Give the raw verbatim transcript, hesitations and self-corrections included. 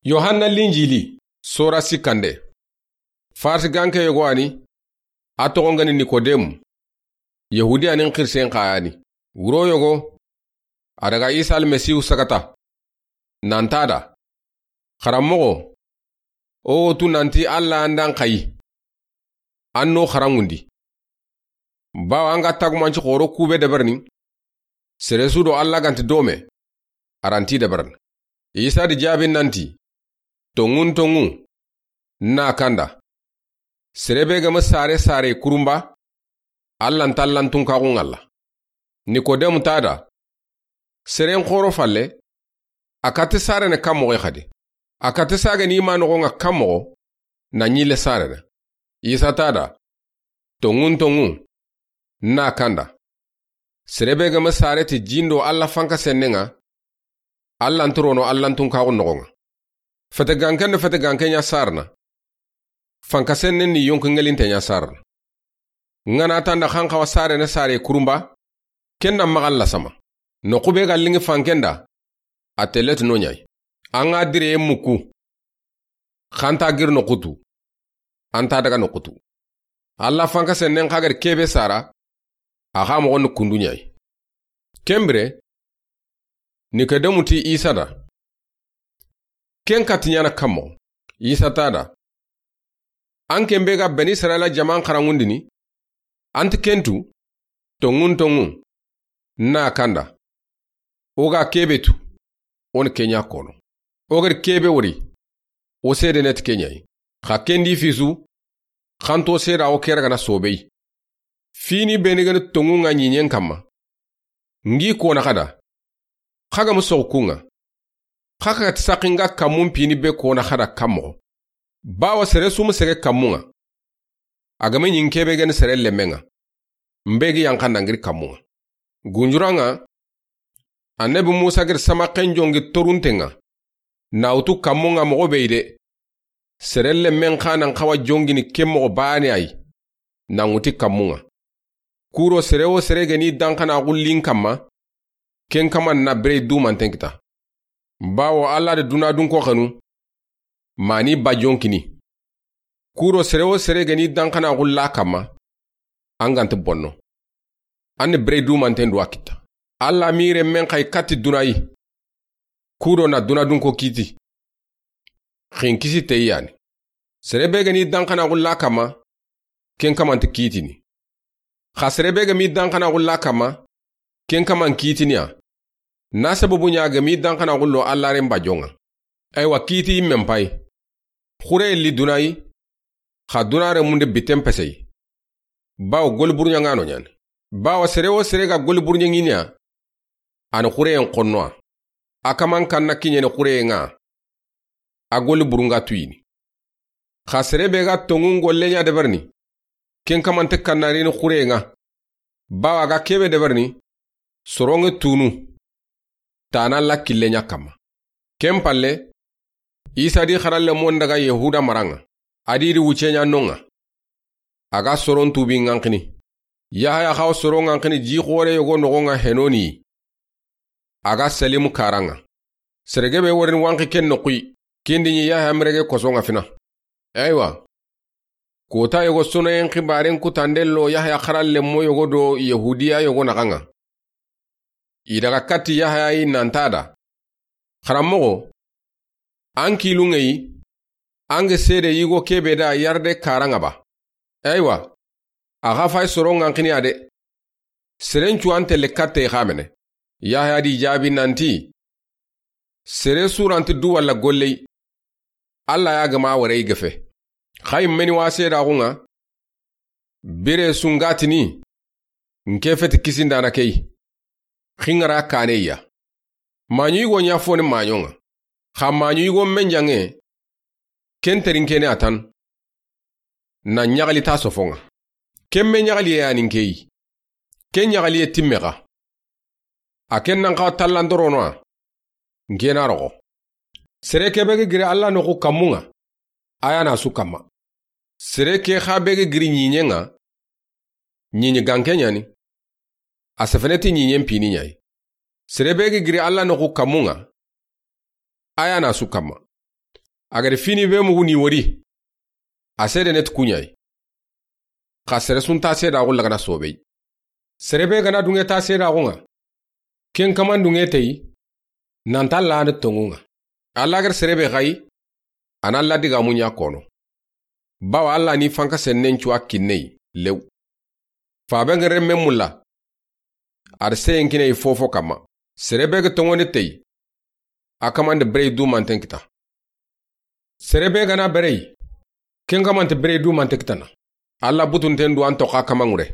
Yohanna Linjili, sora sikkande. Farsi ganke yogo a ni, a toxon ga ni Nikodemu. Yahudiyanin xirisen xa ya ni. Wuro yogo, a daga Isa Almasihu sagata. Nan ti a da, Xaranmoxo, o wo tu nanti Alla an da an xayi, an n'o xaranŋundi. Bawo an ga tagumanci xoro kube deberini, sere su do Alla ga nti dome, a ra nti deberini. Isa di jaabi nanti, Tonŋun tonŋu, n na kanda, sere be ga ma sare sare kurunba, Alla nta Allan tunkaxun ŋalla. Nikodemu ti a da, Seren xoro falle, a kati sarene kan moxo xadi. A kati sage ni ma noxon ŋa kan moxo, na ɲille sarene. Isa ti a da, Tonŋun tonŋu, n na kanda, sere be ga ma sare ti jindo Alla fanka sennen ŋa, Alla nti rono Allan tunkaxun noxon ŋa. Fete ganken do fete ganke ɲa sarana, fanka sennen ni yonki ŋelinten ɲa sarana. N ga na tanda xan xawa sarene sare kurunba, ken na maxa Alla sama. Noxu be ga liŋi fanken da, a telle ti no ɲa yi. An ga direye muku, xan ta giri noxu tu, an ta daga noxu tu. Alla fanka sennen xa ga ri kebe sara, a xa moxon ni kundu ɲa yi. Ken bire, Nikodemu ti Isa da, Ken kati ɲaana kan moxo? Isa ti a da, An ken be ga Bani Israila jaman xaranŋundini, an ti ken tu, Tonŋun tonŋu, n na kanda, o ga kebe tu, o ni ke ɲa kono. O ga ri kebe wori, o seedene ti ke ɲa yi. Xa ken di fisu, xanto seeda o ke ra ga na sobe yi. Fini beni ga ni tonŋun ŋa ɲiɲen kanma, n gi kona xada, xa ga ma soxu kun ŋa. Xa xa ti saxi n ga kanmun pini be kona xada kan moxo. Bawo sere su ma sege kanmun ŋa, a ga ma ɲi n kebe ga ni sere lemmen ŋa, n be gi yanqa na n giri kanmun ŋa. Gunjuran ŋa, Annabi Musa ga ri samaxen jongi torunten ŋa, na wutu kanmun ŋa moxo be yi de. Sere lemmen xa na n xawa jongini ken moxo baane a yi, na n wuti kanmun ŋa. Kuro sere wo sere ga ni danxanaxu li n kanma, ken kaman na bire dumanten kita. Bawo Alla da duna dunko xanu, ma ni ba jonkini. Kuro sere wo sere ga ni danxanaxu la kanma, an ga nti bonno. An ni bire dumanten duwa kita. Alla mi renmen xa yi kati duna yi. Kudo na duna dunko kiti. Xinkisi teyi ya ni. Sere be ga ni danxanaxu la kanma, ken kaman ti kitini. Xa sere be ga mi danxanaxu la kanma, ken kaman kitini ya. Na sababu ɲa ga mi danxanaxu lo Alla ren ba jonŋa. Aywa, kiti yinmen payi. Xureye li duna yi, xa duna renmun de biten pese yi. Bawo goli burɲaŋano ɲa ni. Bawo sere wo sere ga goli burɲaŋini ya, a ni xureyen xonno ya. A kaman kanna kiɲeni xureyen ŋa, a goli burun ga tuyini. Xa sere be ga tonŋun golle ɲa deberini, ken kaman ti kannarini xureyen ŋa. Bawo a ga kebe deberini, soron ŋa tunu, tana la kille ɲa kanma. Ken palle, Isa di xaralenmon daga Yahuda maran ŋa, a di ri wuce ɲa non ŋa. A ga soron tubi ŋanxini. Yahaya xa wo soron ŋanxini ji xore yogo noxon ŋa Henoni yi. A ga Salimu karan ŋa. Sere gebe worini wanxi ken noxu yi. Ken di ɲi Yahaya merege koson ŋa fina. Aywa. Kota yogo sonoyen xibaren kutande lo Yahaya xaralenmo yogo do Yahudiya yogo naxan ŋa. I daga kati Yahaya yi nan ti a da, Xaranmoxo, an kilunŋe yi, an ga seede yigo kebe da yarde karan ŋa ba. Aywa, a xa fay soron ŋanxini ya de. Seren cu an telle katte xa mene. Yahaya di jaabi nanti, Sere su ra nti du walla golle yi, Alla ya ga ma ware yi gefe. Xa yinmeni wa seedaxun ŋa, bire su n ga tini, n ke feti kisindana ke yi. Xinŋara kane ya. Maɲu yigo ɲa foni maɲon ŋa. Xa maɲu yigo menjanŋe, ken terinke ni a tan. Na ɲaxali ta sofon ŋa. Ken me ɲaxaliye ya ni n ke yi. Ken ɲaxaliye timme xa. A ken nan xawa tallandorono ya. N ke na roxo. Sere ke be ga giri Alla noxu kanmun ŋa, a ya na su kanma. Sere ke xa be ga giri ɲiɲen ŋa, ɲiɲi ganke ɲa ni. A sefene ti ɲiɲen pini ɲa yi. Sere be ga giri Alla noxu kanmun ŋa, a ya na su kanma. A ga da fini be mugu ni wori, a seedene ti ku ɲa yi. Xa sere su nta seedaaxu lagana soobey. Sere be ga na duŋe ta seedaaxu ŋa, ken kaman duŋe teyi, nanta Alla ni tonŋu ŋa. Alla ga da sere be xayi, a na Alla digaamu ɲa kono. Bawo Alla ni fanka sennen cu a kinne yi lew. Faaben ga renme mulla, a da seyen kini i fofo kanma. Sere be ga tonŋundi teyi, a kaman da berey dumanten kita. Sere be ga na bereyi, ken kaman nta berey dumante kitana. Alla butunten du an toxo a kaman ŋure.